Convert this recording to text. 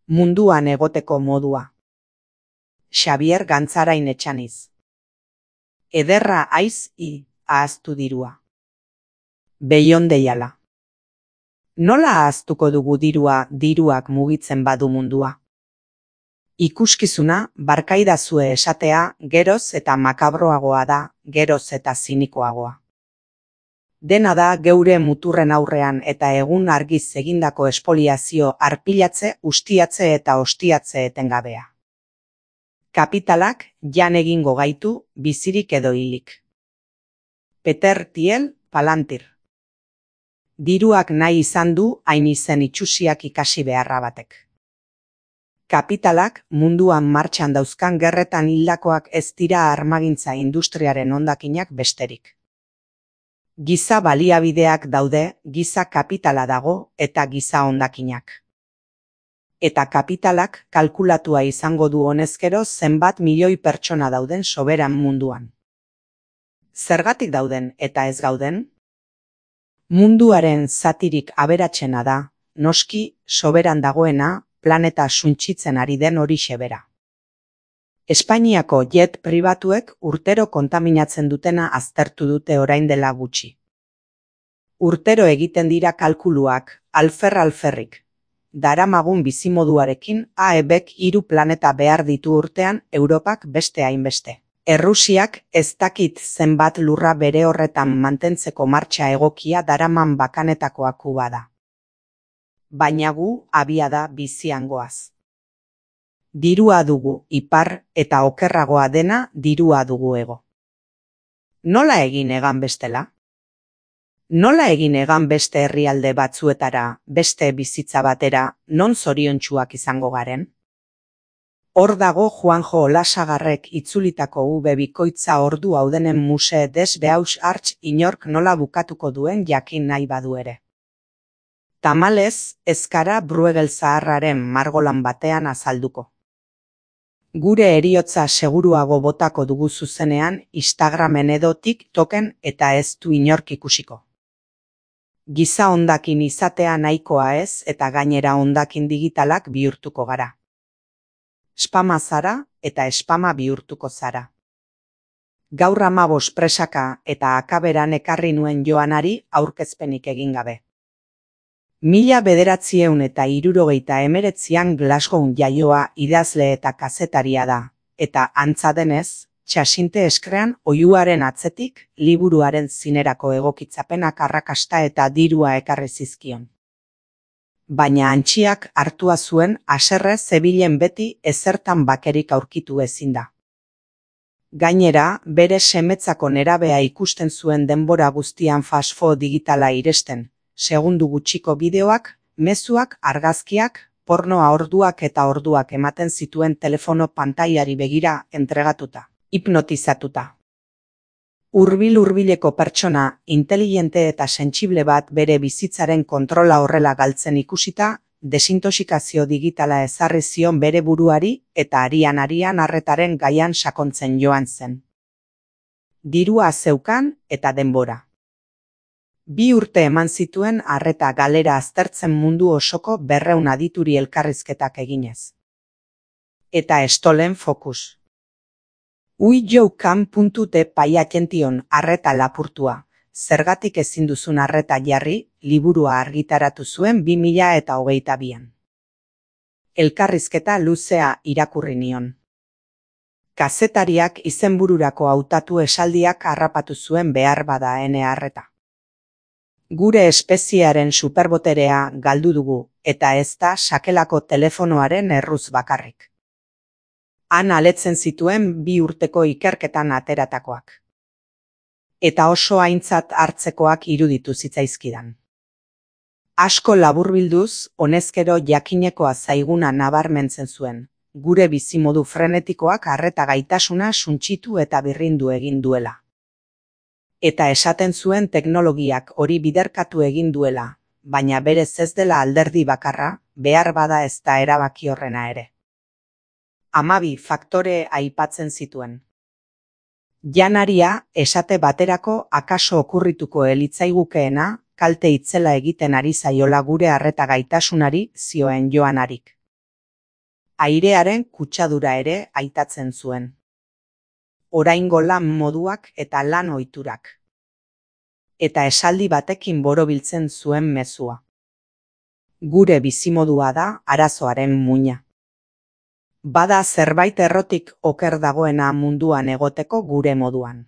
Munduan egoteko modua. Xabier Gantzarain Etxaniz. Ederra aiz ahaztu dirua. Beion deiala. Nola ahaztuko dugu diruak mugitzen badu mundua? Ikuskizuna barkaidazue esatea geroz eta makabroagoa da, geroz eta zinikoagoa. Dena da geure muturren aurrean eta egun argiz egindako espoliazio arpilatze, ustiatze eta ostiatze etengabea. Kapitalak jan egingo gaitu bizirik edo hilik. Peter Thiel, Palantir. Diruak nahi izan du hain izen itxusiak ikasi beharra batek. Kapitalak munduan martxan dauzkan gerretan hildakoak ez dira armagintza industriaren hondakinak besterik. Giza baliabideak daude, giza kapitala dago eta giza hondakinak. Eta kapitalak kalkulatua izango du honezkero zenbat milioi pertsona dauden soberan munduan. Zergatik dauden eta ez gauden? Munduaren zatirik aberatsena da, noski soberan dagoena, planeta suntsitzen ari den horixe bera. Espainiako jet pribatuek urtero kontaminatzen dutena aztertu dute orain dela gutxi. Urtero egiten dira kalkuluak, alferrik. Daramagun bizimoduarekin AEBek 3 planeta behar ditu urtean, Europak beste hainbeste. Errusiak ez dakit zenbat lurra bere horretan mantentzeko martxa egokia daraman bakanetakoa Kuba da. Baina gu abiada bizian goaz. Dirua dugu ipar eta okerragoa dena dirua dugu ego. Nola egin egan bestela? Nola egin egan beste herrialde batzuetara, beste bizitza batera, non zoriontsuak izango garen? Hor dago Juanjo Olasagarrek itzulitako bikoitza ordu haudenen muse des behaus hartz inork nola bukatuko duen jakin nahi badu ere. Tamalez, ezkara Bruegel zaharraren margolan batean azalduko. Gure heriotza seguruago botako dugu zuzenean Instagramen edo TikToken eta ez du inork ikusiko. Giza hondakin izatea nahikoa ez eta gainera hondakin digitalak bihurtuko gara. Spama zara eta spama bihurtuko zara. Gaur 15 presaka eta akaberan ekarri nuen Joanari aurkezpenik egin gabe. 1969an Glasgown jaioa idazle eta kazetaria da, eta antza denez, Txasinte Eskrean oihuaren atzetik liburuaren zinerako egokitzapenak arrakasta eta dirua ekarri zizkion. Baina antxiak hartua zuen haserre zebilen beti ezertan bakerik aurkitu ezin da. Gainera, bere semetzako nerabea ikusten zuen denbora guztian fast-food digitala iresten, segundu gutxiko bideoak, mezuak, argazkiak, pornoa orduak eta orduak ematen zituen telefono pantailari begira entregatuta, hipnotizatuta. Hurbileko pertsona, inteligente eta sentsible bat bere bizitzaren kontrola horrela galtzen ikusita, desintoxikazio digitala ezarri zion bere buruari eta arian arretaren gaian sakontzen joan zen. Dirua zeukan eta denbora. 2 urte eman zituen arreta galera aztertzen mundu osoko 200 adituri elkarrizketak eginez. Eta Stolen Focus. Uijoukan.te paiakention arreta lapurtua, zergatik ezin duzun arreta jarri, liburua argitaratu zuen 2022an. Elkarrizketa luzea irakurri nion. Kazetariak izenbururako hautatu esaldiak harrapatu zuen behar bada ene arreta. Gure espeziearen superboterea galdu dugu, eta ez da sakelako telefonoaren erruz bakarrik. Han aletzen zituen 2 urteko ikerketan ateratakoak. Eta oso aintzat hartzekoak iruditu zitzaizkidan. Asko laburbilduz, honezkero jakinekoa zaiguna nabarmentzen zuen, gure bizimodu frenetikoak arreta gaitasuna suntsitu eta birrindu egin duela. Eta esaten zuen teknologiak hori biderkatu egin duela, baina berez ez dela alderdi bakarra, behar bada ez da erabaki horrena ere. 12 faktore aipatzen zituen. Janaria, esate baterako akaso okurrituko elitzaigukeena, kalte itzela egiten ari zaiola gure arreta gaitasunari, zioen Joanarik. Airearen kutsadura ere aitatzen zuen. Oraingo lan moduak eta lan ohiturak. Eta esaldi batekin borobiltzen zuen mezua. Gure bizimodua da arazoaren muina. Bada zerbait errotik oker dagoena munduan egoteko gure moduan.